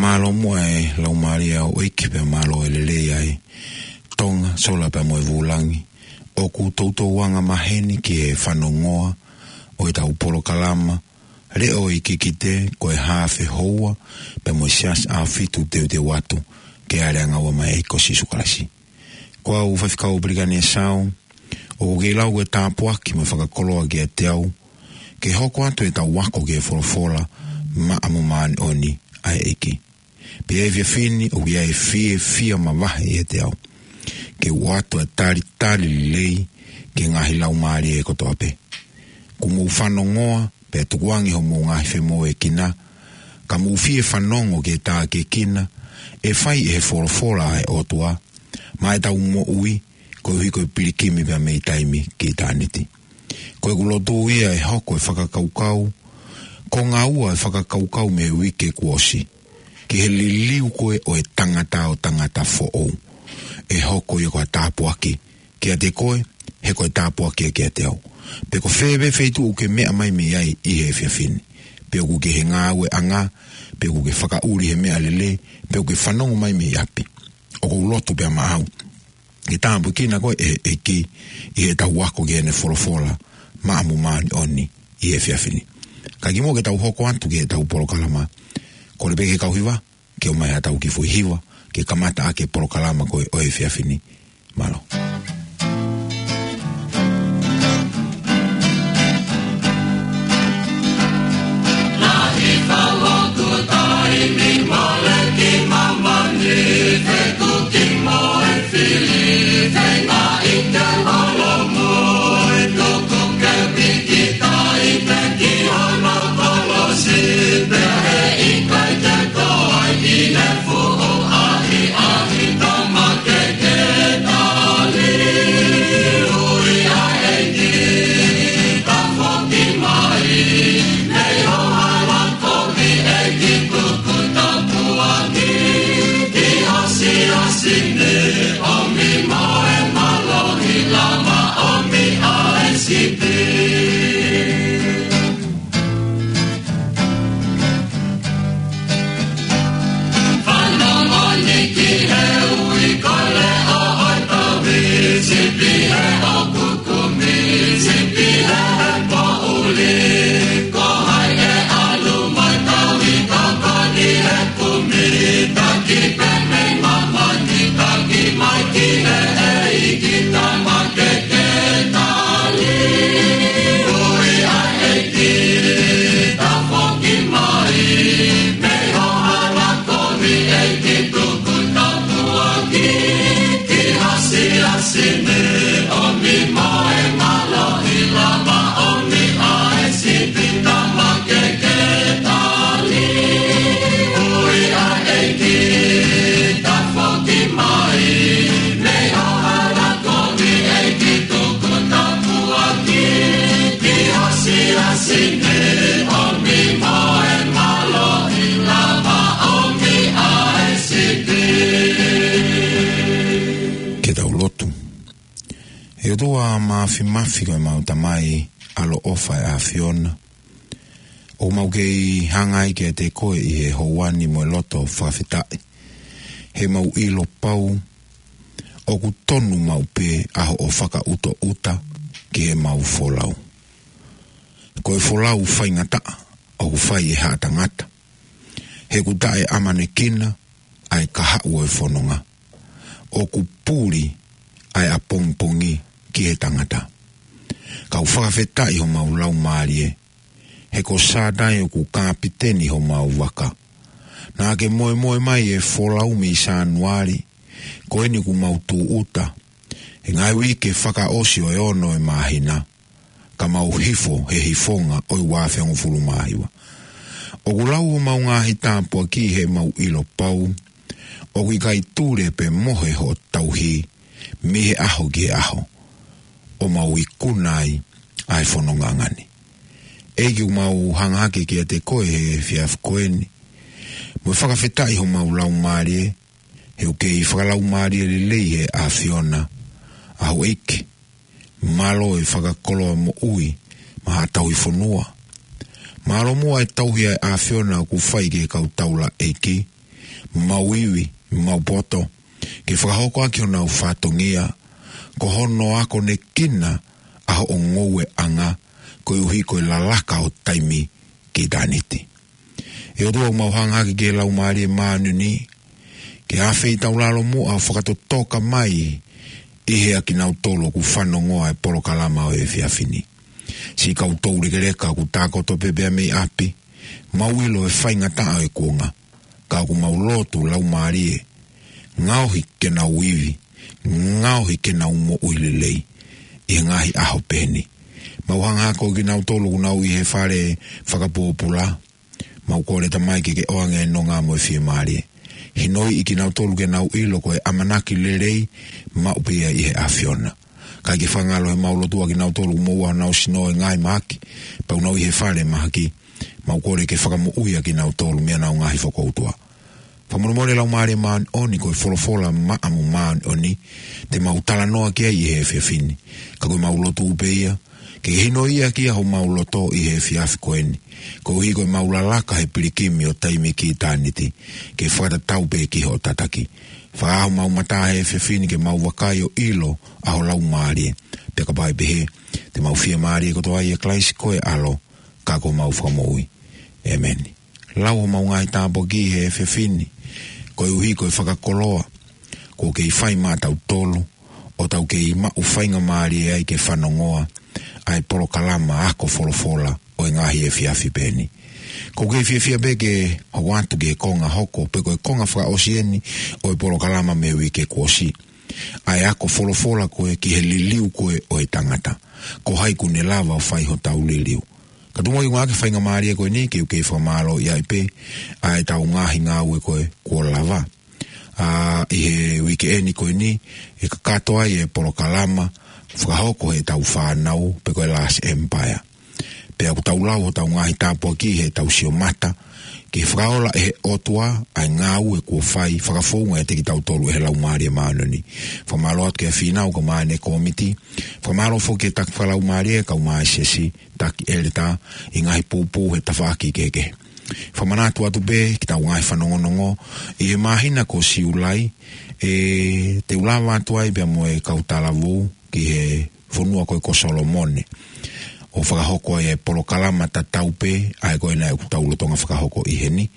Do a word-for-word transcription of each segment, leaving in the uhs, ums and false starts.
Mālō muʻa e Laumālie ʻo e ʻEiki pea mālō e lelei ʻa e Tonga, sola pea mo e vūlangi. ʻOku toutou anga maheni ki he fanongoa ʻo ʻetau polokalama, Leʻo ʻo e Kikite, ko e haafe houa, pea mo e Siasi ʻAhofitu teuteu atu ki he aleangaua mai ʻa e ʻEiki ko Sīsū Kalaisi. Ko au Faifekau Pelikani ʻe Sau, ʻoku kei lau e tāpuaki mo e fakakoloa kiate au, ke hoko atu ʻetau ako ki he folofola maʻa mo māʻoniʻoni ʻa e ʻEiki. Pea ʻi he efiafi ni ʻoku ʻi ai e fiefia mavahe ʻiate au ke u ʻoatu e talitali lelei ki he ngaahi laumālie kotoa pē. Kuo mou fanongoa, pea tukuange hoʻomou ngaahi femoʻuekina, ka mou fie fanongo ki he tākiekina ʻe fai ʻe he folofola ʻa e ʻOtua maʻa ʻetau moʻui, koeʻuhi ko e pilikimi pea mei taimi ki ʻitāniti. Ko ʻeku lotu ia ʻe hoko e fakakaukau, ko e ngāue e fakakaukau mei he uike kuo ʻosi, ki he liliu ko ē ʻo e tangata ʻo tangata foʻou, ʻe hoko ia ko ha tāpuaki kiate koe, he ko e tāpuaki ia kiate au. Pe ko fē pē feituʻu ʻoku ke meʻa mai mei ai ʻi he efiafi ni, pe ʻoku ke ʻi he ngāueʻanga, pe ʻoku ke fakaʻuli he meʻalele, pe ʻoku ke fanongo mai mei ʻapi, ʻoku ou lotu pea maʻau ke tāpuekina koe ʻe he ʻEiki ʻi heʻetau ako ki heʻene folofola maʻa mo māʻoniʻoni ʻi he efiafi ni. Ka kimuʻa ke tau hoko atu ki heʻetau polokalama, kole pē ki he kau hiva ke ʻomai haʻatau kiʻi foʻi hiva ke kamata ʻaki e polokalama ko ē ʻo e efiafi ni. Mālō. Fanongo ni ki he ui ko e leʻo ʻo e tauhi, sipi he ʻoku kumi, sipi he poʻuli. Ko hai ʻe ʻalu mai tauhi, tokoni he kumi, taki pē mei māmani, taki mai ki he ʻEiki tama ke ke tali. Ui ʻa e ʻEiki, tafoki mai, mei ho hala kovi ʻEiki tuku tapuaki, ki ha siasi ni ʻomi mo e mālohi lava ʻomi ʻa e sipi tama ke ke tali. Ui ʻa e ʻEiki, tafoki mai, mei ho hala kovi ʻEiki tuku tapuaki, ki ha siasi ni ʻomi mo e mālohi lava ʻomi ʻa e sipi. Ke tau lotu. ʻE ʻOtua Māfimafi, ko ʻemau Tamai ʻaloʻofa ʻa e ʻAfiona, ʻoku mau kei hanga ai kiate koe ʻi he houa ni mo e loto fakafetaʻi, he mau ʻilo pau ʻoku tonu maʻu pē ʻa hoʻo fakaʻutoʻuta ki heʻemau folau. Ko e folau faingataʻa ʻoku fai ʻe haʻa tangata, he ʻoku taʻeʻamanekina ʻa e kahaʻu ʻo e fononga. ʻOku puli ʻa e ʻapongipongi ki he tangata. Kau fakafetaʻi homau laumālie, he ko Sātai ʻoku kapiteni homau vaka. Naʻa ke moemoe mai e folau mei Sānuali, ko eni ʻoku mau tūʻuta he ngaahi uike fakaʻosi ʻo e ono ʻo e māhina, ka mau hifo he hifonga ʻo e ua afe hongofulu mā hiva. ʻOku lau homau ngaahi tāpuaki he mau ʻilo pau ʻoku ʻikai tule pe mohe hoʻo tauhi mei he ʻaho ki he ʻaho, ʻo mau ikuna ai ʻa e fononga ni. ʻEiki, ʻoku mau hanga hake kiate koe he efiafi ko eni, mo e fakafetaʻi homau laumālie, he ʻoku kei fakalaumālie lelei he ʻAfiona ʻa Houʻeiki. Mālō e fakakoloa moʻui maʻa ha tauhi fonua. Mālō muʻa e tauhi ʻa e ʻAfiona ʻoku fai ki he kau taulaʻeiki, mau ivi, mau poto, ke fakahoko ʻaki honau fatongia, ko hono akonekina ʻa hoʻo ngoueʻanga, koeʻuhi ko e lalaka ʻo taimi ki ʻitāniti. ʻE ʻOtua, ʻoku mau hanga hake ki he Laumālie Māʻoniʻoni, ke ʻafeitaulalo muʻa ʻo fakatotoka mai ʻi he ʻa kinautolu ʻoku fanongoa e polokalama ʻo e efiafi ni. Siʻi kau toulekeleka ʻoku tākoto pē pea mei ʻapi, mau ʻilo e faingataʻa ʻo e kuonga, ka ʻoku mau lotu Laumālie, ngaohi ke nau ivi, ngaohi ke nau moʻui lelei ʻi he ngaahi ʻaho pehē ni. Mau hanga hake ko kinautolu ʻoku nau ʻi he fale fakapōpula, mau kole Tamai ke ke ʻoange e nonga mo e fiemālie. Hinoiʻi kinautolu ke nau ʻilo ko e ʻamanaki lelei maʻu pē ia ʻi he ʻAfiona. Kae ke fakangalo he mau lotua kinautolu ʻoku moʻua honau sino ʻi he ngaahi mahaki, pea ʻoku nau ʻi he fale mahaki, mau kole ke fakamoʻui ʻa kinautolu mei honau ngaahi fokoutua. Fakamolemole Laumālie Māʻoniʻoni, ko e folofola maʻa mo māʻoniʻoni te mau talanoa ki ai ʻi he efiafi ni. Ka ko e mau lotu pē ia, ke ke hinoiʻi ʻaki ia homau loto ʻi he efiafi ko eni, koeʻuhi ko e mau lalaka he pilikimi ʻo taimi ki ʻitāniti, ke fakatatau pē ki hoʻo tataki. Fakaʻā homau mata he efiafi ni ke mau vakai ʻo ʻilo ʻa ho Laumālie. Pea kapau ʻe pehē, te mau fiemālie kotoa ʻia Kalaisi ko e ʻAlo, ka ko homau Fakamoʻui. ʻĒmeni. Lau homau ngaahi tāpuaki he efiafi ni, koeʻuhi ko e fakakoloa kuo kei fai maʻatautolu, ʻo tau kei maʻu faingamālie ai ke fanongoa ʻa e polokalama ako folofola ʻo e ngaahi efiafi pehē ni. ʻOku ou kei fiefia pē ke hoko atu ki he konga hoko, pe ko e konga fakaʻosi eni ʻo e polokalama mei he uike kuo ʻosi. ʻA e ako folofola ko ē ki he liliu ko ē ʻo e tangata. Ko hai ʻoku ne lava ʻo fai hotau liliu. Ka tuku muʻa ke u ngāueʻaki e faingamālie ko eni ke u kei fakamālōʻia ai pē ʻa ʻetau ngaahi ngāue ko ē kuo lava. ʻA, ʻi he uike eni ko eni, ʻe kakato ai e polokalama fakahoko heʻetau fānau, pe ko e Last Empire. Pea ʻoku tau lau hotau ngaahi tāpuaki heʻetau sio mata ki he fakaola ʻe he ʻOtua ʻa e ngāue kuo fai fakafounga ʻiate kitautolu ʻe he Laumālie Māʻoniʻoni. Fakamālō atu kia Fīnau kae ʻumaʻā ʻene kōmiti. Fakamālō foki ki he taki fakalaumālie kae ʻumaʻā e siasi, taki ʻeletā, ʻi he ngaahi poupou he tafaʻaki kehekehe. Fakamanatu atu pē ki heʻetau ngaahi fanongonongo ʻi he māhina ko Siulai, ʻe te u lava atu ai pea mo e kau talavou ki he fonua ko ē ko Solomone, ʻo fakahoko ai e polokalama tatau pē ʻa ē ko ē naʻe ʻoku tau lolotonga fakahoko ʻi heni.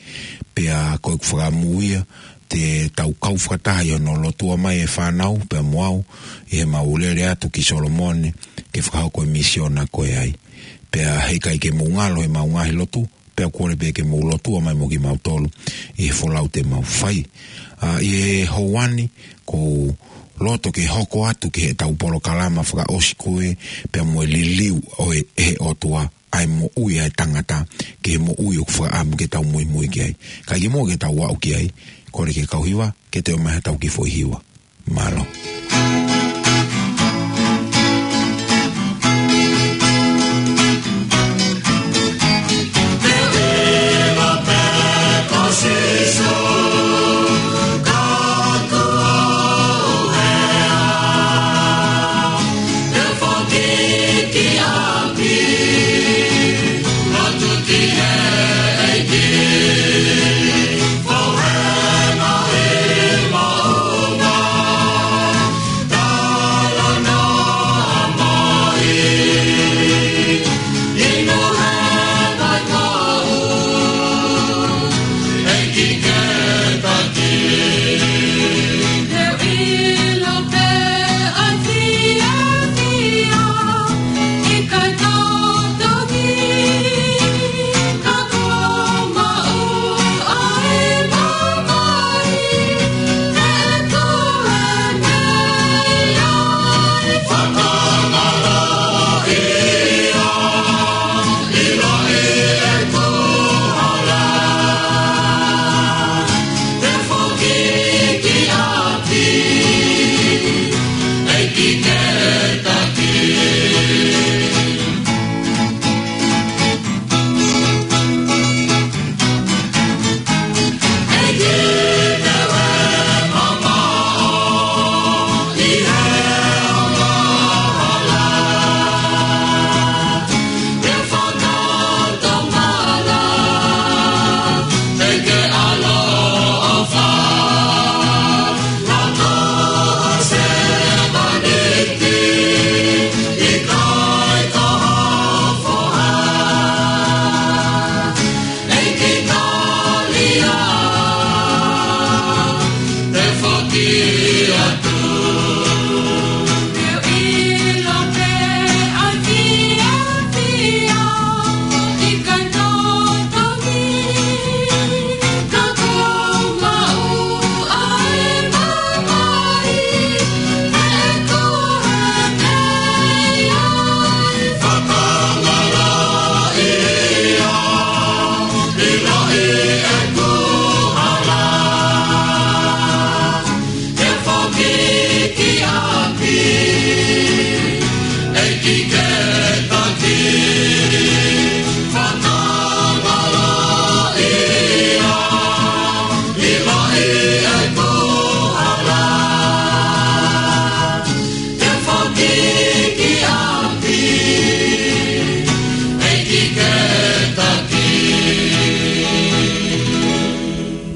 Pea ko ʻeku fakaʻamu ia te tau kau fakataha ʻi hono lotua mai e fānau pea mo au ʻi heʻemau lele atu ki Solomone ke fakahoko e misiona ko ē ai. Pea heʻikai ke mou ngalo heʻemau ngaahi lotu, pea kole pē ke mou lotua mai mo kimautolu ʻi he folau te mau fai. ʻA, ʻi he houa ni, ʻoku ou loto ke hoko atu ki heʻetau polokalama fakaʻosi ko ē pea mo e liliu ʻo e, ʻe he ʻOtua ʻa e moʻui ʻa e tangata, ki he moʻui ʻoku fakaʻamu ke tau muimui ki ai. Ka ʻi he moʻoni ke tau aʻu ki ai, kole ki he kau hiva ke toe ʻomai haʻatau kiʻi foʻi hiva. Mālō.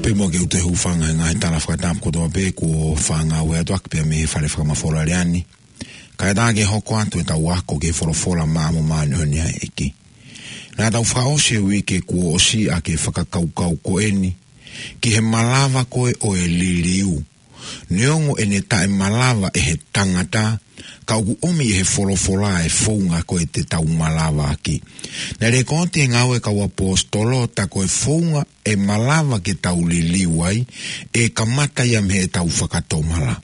Pea mo ke u toe hūfanga he ngaahi tala fakatapu kotoa pē kuo fāngaue atu ʻaki pea mei he fale fakamafola lea ni. Kae ʻatā ke hoko atu ʻetau ako ki he folofola māʻoniʻoni ʻa e ʻEiki. Naʻa tau fakaʻosi e uike kuo ʻosi ʻaki e fakakaukau ko eni ki he malava ko ē ʻo e liliu. Neongo ʻene taʻemalava ʻe he tangata, ka ʻoku ʻomi ʻe he folofola e founga ko ē te tau malava ʻaki. Naʻe lekooti he Ngāue ʻa e Kau ʻAposetolo, tā ko e founga ʻe malava ke tau liliu ai, ʻe kamata ia mei heʻetau fakatomala.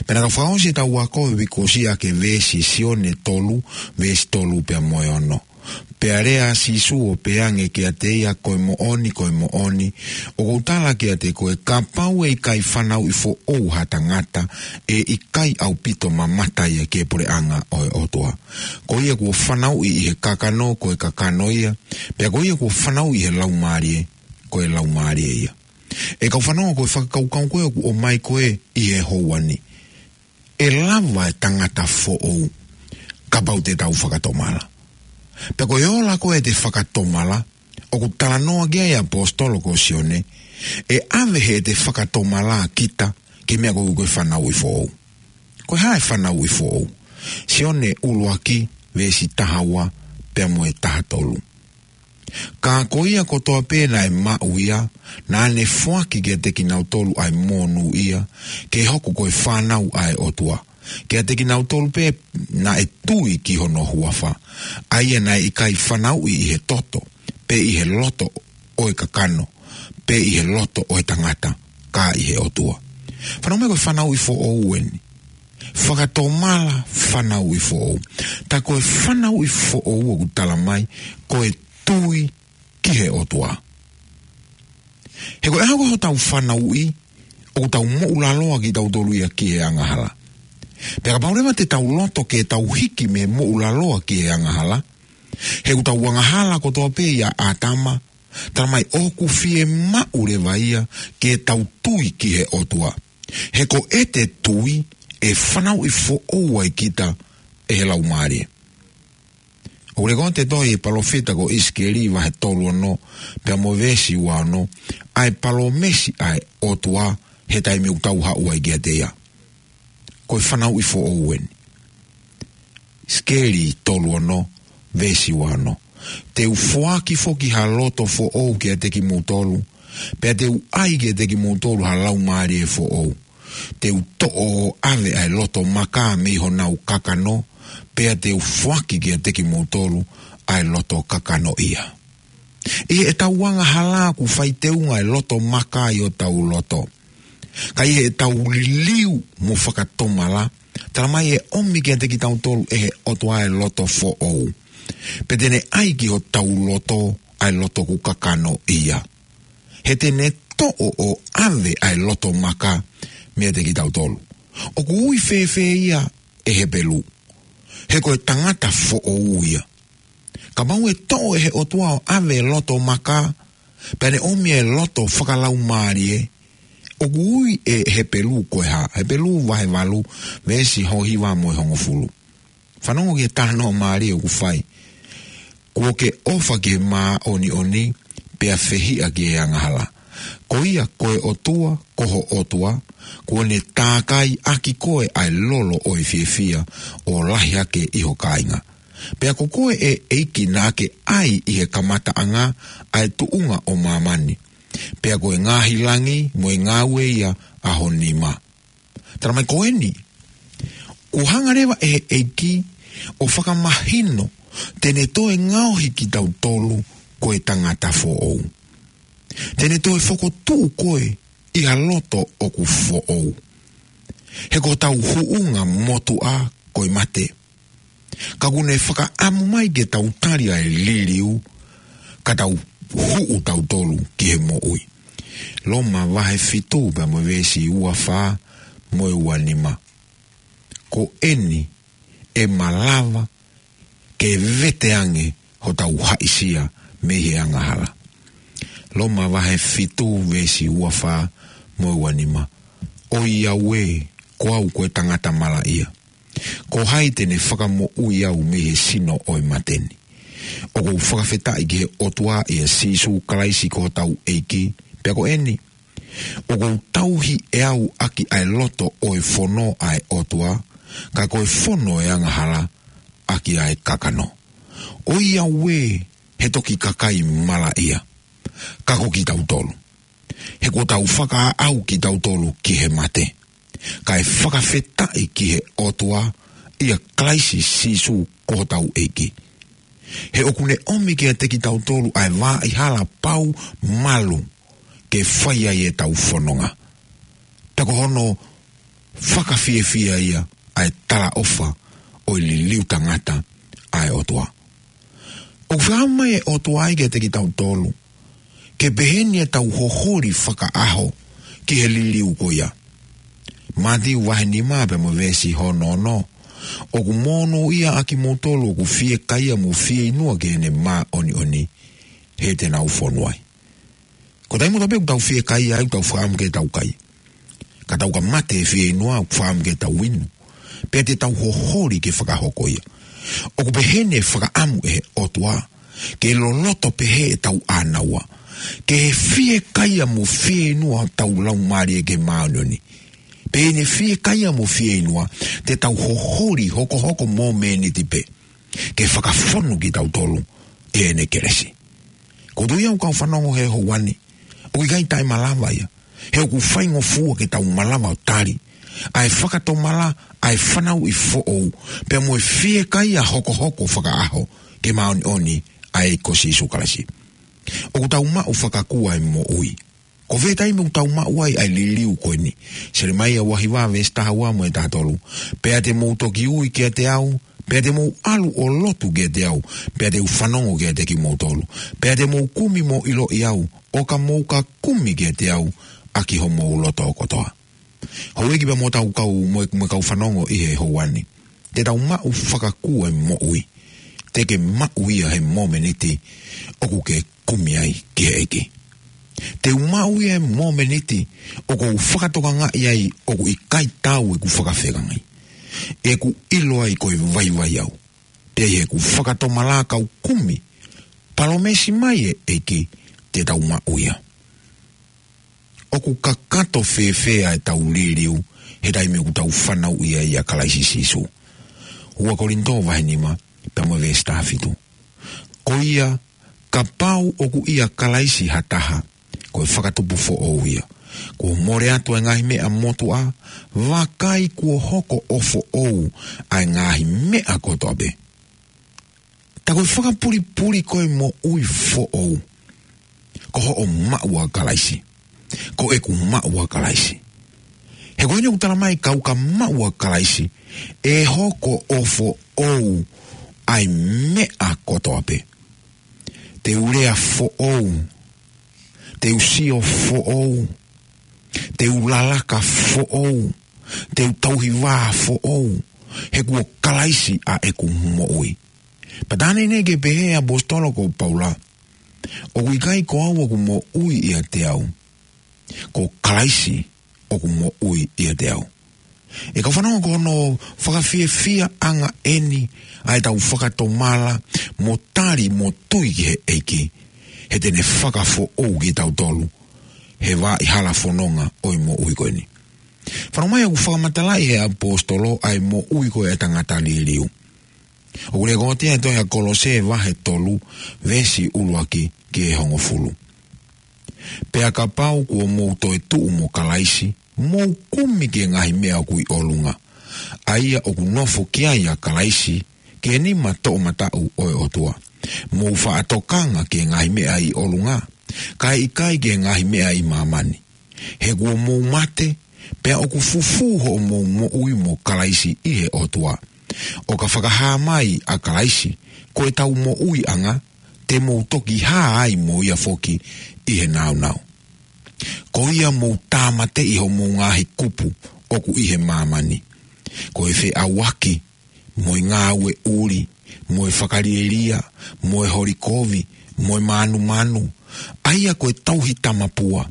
Pea naʻa tau fakaʻosi ʻetau ako he uike kuo ʻosi ʻaki e veesi Sione tolu, veesi tolu pea mo e ono. Pea lea ʻa Sīsū ʻo pehē ange kiate ia, ko e moʻoni, ko e moʻoni, ʻoku ou tala kiate koe, kapau ʻe ʻikai fanauʻi foʻou ha tangata, ʻe ʻikai ʻaupito mamata ia ki he puleʻanga ʻo e ʻOtua. Ko ia kuo fanauʻi ʻi he kakano, ko e kakano ia, pea ko ia kuo fanauʻi ʻi he laumālie, ko e laumālie ia. ʻE kau fanongo, ko e fakakaukau ko ē ʻoku ʻomai ko ē ʻi he houa ni. ʻE lava e tangata foʻou kapau te tau fakatomala. Pea ko e ola ko ē ʻete fakatomala, ʻoku talanoa ki ai ʻa e ʻaposetolo ko Sione, ʻe ʻave heʻete fakatomala kita ki he meʻa ko ē ko e fanauʻi foʻou. Ko e hā e fanauʻi foʻou? Sione ʻuluaki, veesi taha ua pea mo e taha tolu. Ka ko ia kotoa pē naʻe maʻu ia, naʻa ne foaki kiate kinautolu ʻa e monūʻia, ke hoko ko e fānau ʻa e ʻOtua. Kiate kinautolu pē naʻe tui ki hono huafa, ʻa ia naʻe ʻikai fanauʻi ʻi he toto, pe ʻi he loto ʻo e kakano, pe ʻi he loto ʻo e tangata, ka ʻi he ʻOtua. Fanongo mai, ko e fanauʻi foʻou eni. Fakatomala, fanauʻi foʻou. Tā ko e fanauʻi foʻou ʻoku tala mai, ko e tui ki he ʻOtua. He ko e ʻaho ko ē hotau fanauʻi, ʻoku tau moʻulaloa kitautolu ia ki he angahala. Pea kapau leva te tau loto ke tau hiki mei he moʻulaloa ki he angahala, he ʻoku tau angahala kotoa pē ʻia ʻĀtama, tala mai ʻoku fiemaʻu leva ia ke tau tui ki he ʻOtua. He ko ʻete tui ʻe fanauʻi foʻou ai kita ʻe he Laumālie. ʻOku lekooti e tohi ʻa e palōfita ko ʻIsikeli vahe tolu ono, pea mo e veesi ua ono, ʻa e palōmesi ʻa e ʻOtua he taimi ʻoku tau haʻu ai kiate ia. Ko e fanauʻi foʻou eni. ʻIsikeli tolu ono, veesi ua ono. Te u foaki foki ha loto foʻou kiate kimoutolu, pea te u ʻai kiate kimoutolu ha laumālie foʻou. Te u toʻo ʻo ʻave ʻa e loto maka mei honau kakano, pea te u foaki kiate kimoutolu ʻa e loto kakanoʻia. ʻI heʻetau angahala ʻoku fai teunga e loto maka ʻi hotau loto. Ka ʻi heʻetau liliu mo fakatomala, tala mai ʻe ʻomi kiate kitautolu ʻe he ʻOtua e loto foʻou. Pea te ne ʻai ki hotau loto ʻa e loto ʻoku kakanoʻia. He te ne toʻo ʻo ʻave ʻa e loto maka meiate kitautolu. ʻOku ui fēfē ia ʻe Hepelū? He ko e tangata foʻou ia. Kapau ʻe toʻo ʻe he ʻOtua ʻo ʻave e loto maka, pea ne ʻomi e loto fakalaumālie, ʻoku ui ʻe Hepelū ko e hā? Hepelū vahe valu, veesi hono hiva mo e hongofulu. Fanongo ki he talanoa mālie ʻoku fai. Kuo ke ʻofa ki he māʻoniʻoni, pea fehiʻa ki he angahala. Ko ia ko e ʻOtua, ko ho ʻOtua, kuo ne tākai ʻaki koe ʻa e lolo ʻo e fiefia, ʻo lahi hake ʻi ho kāinga. Pea ko koe ʻe ʻEiki naʻa ke ʻai ʻi he kamataʻanga ʻa e tuʻunga ʻo māmani. Pea ko e ngaahi langi mo e ngāue ia ʻa ho nima. Talamai ko eni, kuo hanga leva ʻe he ʻEiki ʻo fakamahino te ne toe ngaohi kitautolu ko e tangata foʻou. Te ne toe fokotuʻu koe ʻi ha loto ʻoku foʻou. He ko hotau huʻunga motuʻa ko e mate. Ka kuo ne fakaʻamu mai ke tau tali ʻa e liliu, ka tau huʻu tautolu ki he moʻui. Loma vahe fitu pea mo e veesi ua fā mo e ua nima. Ko eni ʻe malava ke vete ange hotau haʻisia mei he angahala. Loma vahe fitu veesi ua fā mo e ua nima. ʻOiauē, ko au ko e tangata malaʻia. Ko hai te ne fakamoʻui au mei he sino ʻo e mate ni? ʻOku ou fakafetaʻi ki he ʻOtua ʻia Sīsū Kalaisi ko hotau ʻEiki, pea ko eni, ʻoku ou tauhi ʻe au ʻaki ʻa e loto ʻo e fono ʻa e ʻOtua, ka ko e fono ʻo e angahala ʻaki ʻa e kakano. ʻOiauē, he toki kakai malaʻia, ka ko kitautolu. He kuo tau fakaaʻu kitautolu ki he mate, kae fakafetaʻi ki he ʻOtua ʻia Kalaisi Sīsū ko hotau ʻEiki. He ʻoku ne ʻomi kiate kitautolu ʻa e vaʻihala pau malu ke fai ai ʻetau fononga. Pea ko hono fakafiefia ia ʻa e talaʻofa ʻo e liliu tangata ʻa e ʻOtua. ʻOku fakaʻamu mai ʻe he ʻOtua ai kiate kitautolu ke pehē ni ʻetau hoholi fakaʻaho ki he liliu ko ia. Mātiu vahe nima pea mo e veesi hono ono. ʻOku monūʻia ʻa kimoutolu ʻoku fiekaia mo fieinua ki heʻene māʻoniʻoni, he te nau fonu ai. Ko e taimi kotoa pē ʻoku tau fiekaia ai, ʻoku tau fakaʻamu ke tau kai. Ka tau ka mate ʻi he fieinua, ʻoku fakaʻamu ke tau inu. Pea te tau hoholi ke fakahoko ia. ʻOku pehē ni e fakaʻamu ʻe he ʻOtua, ke loloto pehē ʻetau ʻānaua, ke fiekaia mo fieinua hotau laumālie ki he māʻoniʻoni. Pea ʻi heʻene fiekaia mo fieinua, te tau hoholi hokohoko momeniti pē ke fakafonu kitautolu ʻe heʻene kelesi. Ko e tuʻu ia ʻoku ou fanongo he houa ni, ʻoku ʻikai taʻemalava ia. He ʻoku faingofua ke tau malava ʻo tali ʻa e fakatomala ʻa e fanauʻi foʻou, pea mo e fiekaia hokohoko fakaʻaho ki he māʻoniʻoni ʻa e ʻEiki ko Sīsū Kalaisi. ʻOku tau maʻu fakakū ʻa e moʻui. Ko e fē taimi ʻoku tau maʻu ai ʻa e liliu ko eni? Selemaia vahe hiva veesi taha ua mo e taha tolu. Pea te mou toki ui kiate au, pea te mou ʻalu ʻo lotu kiate au, pea te u fanongo kiate kimoutolu. Pea te mou kumi mo ʻiloʻi au, ʻo ka mou ka kumi kiate au ʻaki homou loto kotoa. Houʻeiki pea mo hotau kau mo e, mo e kau fanongo ʻi he houa ni. Te tau maʻu fakakū ʻa e moʻui. Te ke maʻu ia he momeniti ʻoku ke kumi ai ki he ʻEiki. Te u maʻu ia he momeniti ʻoku ou fakatokangaʻi ai ʻoku ʻikai taau ʻeku fakafeangai. ʻEku ʻilo ai ko e vaivai au. Pea ʻi heʻeku fakatomala kau kumi, palōmesi mai e ʻEiki te tau maʻu ia. ʻOku kakato fēfē ʻa ʻetau liliu he taimi ʻoku tau fanauʻi ai ʻia Kalaisi Sīsū? Ua Kolinitō vahe nima, pea mo e veesi taha fitu. Ko ia, kapau ʻoku ʻia Kalaisi ha taha, ko e fakatupu foʻou ia. Kuo mole atu ʻa e ngaahi meʻa motuʻa, vakai kuo hoko ʻo foʻou ʻa e ngaahi meʻa kotoa pē. Ta ko e fakapulipuli ko e moʻui foʻou, ko hoʻo maʻu ʻa Kalaisi. Ko ʻeku maʻu ʻa Kalaisi. He ko eni ʻoku talamai kau ka maʻu ʻa Kalaisi, ʻe hoko ʻo foʻou ʻa e meʻa kotoa pē. Te u lea foʻou, te u sio foʻou, te u lalaka foʻou, te u tauhi vā foʻou, he kuo Kalaisi ʻa ʻeku moʻui. Pea tā neʻineʻi ke pehē ʻe he ʻaposetolo ko Paula, ʻoku ʻikai ko au ʻoku moʻui ʻiate au, ko Kalaisi ʻoku moʻui ʻiate au. ʻE kau fanongo, ko hono fakafiefiaʻanga eni ʻa ʻetau fakatomala mo tali mo tui ki he ʻEiki, he te ne fakafoʻou kitautolu he vaʻihala fononga ʻo e moʻui ko eni. Fanongo mai ʻoku fakamatalaʻi ʻe he ʻaposetolo ʻa e moʻui ko e tangata liliu. ʻOku lekooti ʻi he tohi ʻa Kolose vahe tolu, veesi ʻuluaki ki he hongofulu. Pea kapau kuo mou toetuʻu mo Kalaisi, Mou kumi ki he ngaahi meʻa ʻoku ʻi ʻolunga, ʻa ia ʻoku nofo ki ai ʻa Kalaisi, ki he nima toʻomataʻu ʻo e ʻOtua. Mou faʻa tokanga ki he ngaahi meʻa ʻi ʻolunga, kae ʻikai ki he ngaahi meʻa ʻi māmani. He kuo mou mate, pea ʻoku fufū hoʻomou moʻui mo Kalaisi ʻi he ʻOtua. ʻO ka fakahā mai ʻa Kalaisi, ko ʻetau moʻuiʻanga, te mou toki hā ai mo ia foki ʻi he nāunau. Ko ia mou tāmateʻi hoʻomou ngaahi kupu ʻoku ʻi he māmani. Ko e feʻauaki, mo e ngāue ʻuli, mo e fakalielia, mo e holi kovi, mo e mānumanu, ʻa ia ko e tauhi tamapua.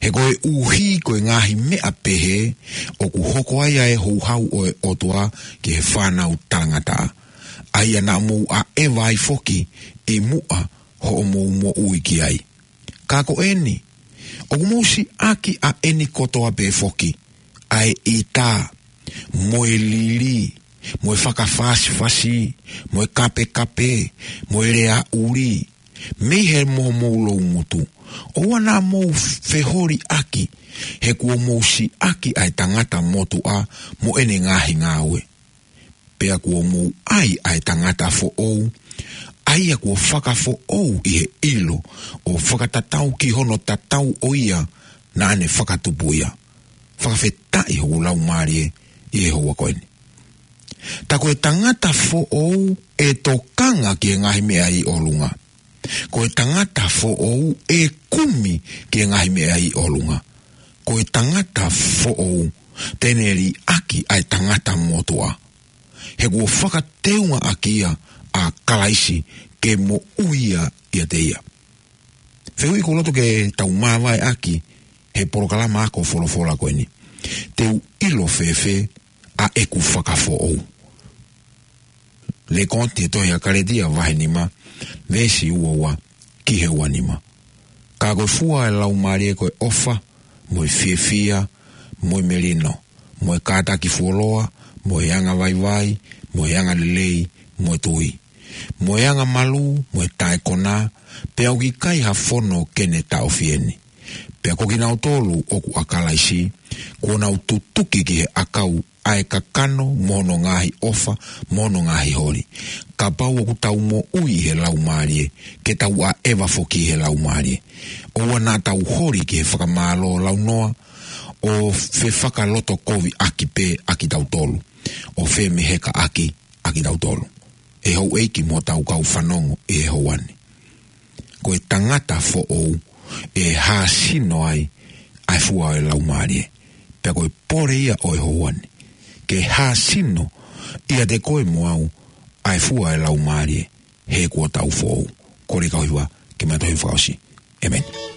He koeʻuhi ko e ngaahi meʻa pehē, ʻoku hoko ai ʻa e houhau ʻo e ʻOtua ki he fānau talangataʻa, ʻa ia naʻa mou ʻaʻeva ai foki ʻi muʻa hoʻomou moʻui ki ai. Ka ko eni, ʻoku mou siʻaki ʻa eni kotoa pē foki, ʻa e ʻita, mo e lili, mo e fakafasifasi, mo e kapekape, mo e lea ʻuli, mei he moʻomou loungutu. ʻOua naʻa mou feholiʻaki, he kuo mou siʻaki ʻa e tangata motuʻa mo ʻene ngaahi ngāue. Pea kuo mou ʻai ʻa e tangata foʻou, ʻa ia kuo fakafoʻou ʻi he ʻilo, ʻo fakatatau ki hono tatau ʻo ia naʻa ne fakatupu ia. Fakafetaʻi hoku laumālie ʻi he houa ko eni. Tā ko e tangata foʻou ʻe tokanga ki he ngaahi meʻa ʻi ʻolunga. Ko e tangata foʻou ʻe kumi ki he ngaahi meʻa ʻi ʻolunga. Ko e tangata foʻou te ne liʻaki ʻa e tangata motuʻa. He kuo fakateungaʻaki ia ʻa Kalaisi ke moʻui ia ʻiate ia. Fehuʻi ʻoku ou loto ke tau māvaeʻaki he polokalama ako folofola ko eni. Te u ʻilo fēfē ʻa ʻeku fakafoʻou? Lēkooti he tohi ʻa Kalētia vahe nima, veesi ua ua ki he ua nima. Ka ko e fua ʻo e Laumālie ko e ʻofa, mo e fiefia, mo e melino, mo e kātaki fuoloa, mo e anga vaivai, mo e anga lelei, mo e tui, mo e anga malū, mo e taʻekonā, pea ʻoku ʻikai ha fono ke ne taʻofi eni. Pea ko kinautolu ʻoku ʻa Kalaisi, kuo nau tutuki ki he ʻakau ʻa e kakano mo hono ngaahi ʻofa, mo hono ngaahi holi. Kapau ʻoku tau moʻui ʻi he Laumālie, ke tau ʻaʻeva foki ʻi he Laumālie. ʻOua naʻa tau holi ki he fakamālō launoa, ʻo fefakalotokoviʻaki pē ʻa kitautolu, ʻo femehekaʻaki ʻa kitautolu. ʻE houʻeiki mo hotau kau fanongo ʻi he houa ni. Ko e tangata foʻou ʻe hāsino ai ʻa e fua ʻo e Laumālie. Pea ko e pole ia ʻo e houa ni, ke hāsino ʻiate koe mo au ʻa e fua ʻo e Laumālie, he kuo tau foʻou. Kole kau hiva ke ma tohi fakaʻosi. ʻĒmeni.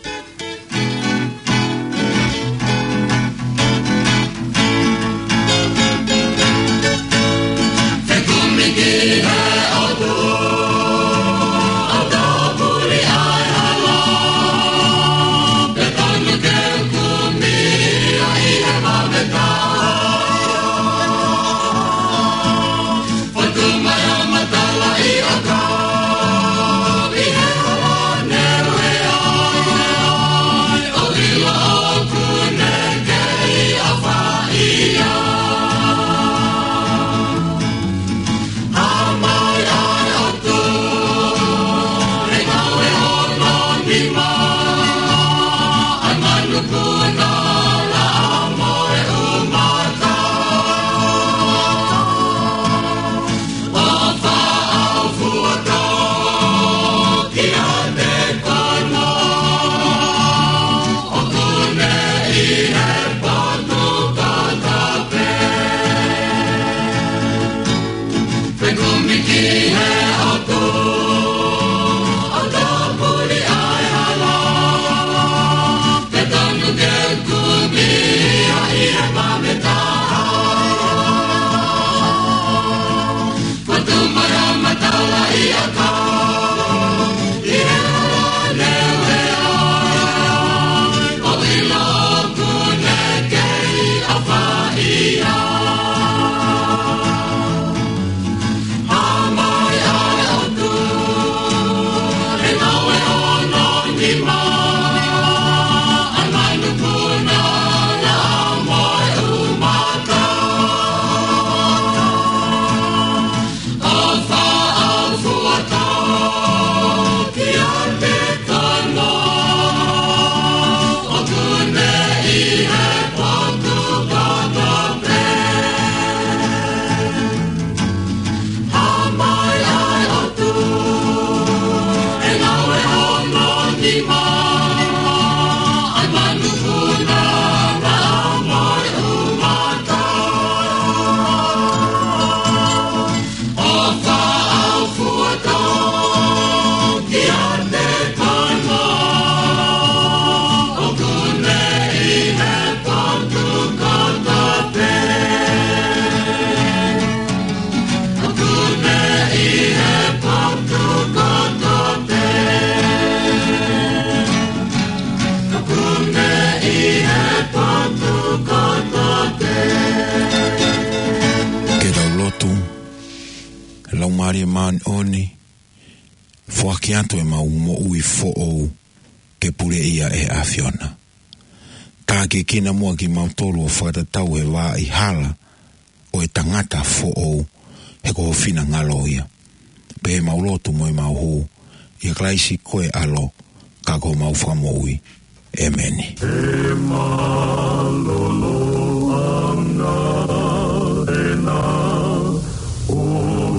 Māʻoniʻoni, foaki atu ʻemau moʻui foʻou ke puleʻi ʻe he ʻAfiona. Tākiekina muʻa kimautolu ʻo fakatatau he vaʻa hala ʻo e tangata foʻou, he ko ho finangalo ia. Pea mau lotu mo ʻemau hū ʻia Kalaisi ko e ʻAlo, ka ko homau Fakamoʻui. ʻEmeni. He mālōlōʻanga ena ʻo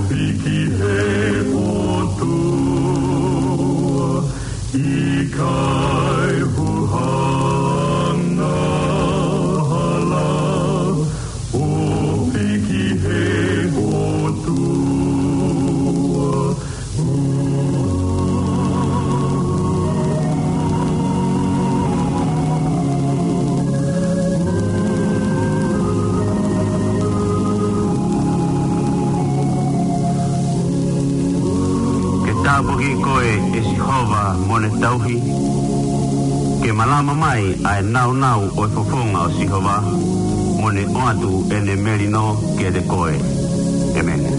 hiki he ʻOtua, ʻikai huhanga hala ʻo hiki he ʻOtua. Ke tāpuakiʻi koe ʻe Sihova mo ne tauhi. Ke malama mai ʻa e nāunau ʻo e fofonga ʻo Sihova, mo ne ʻoatu ʻene melino kiate koe. ʻEmeni.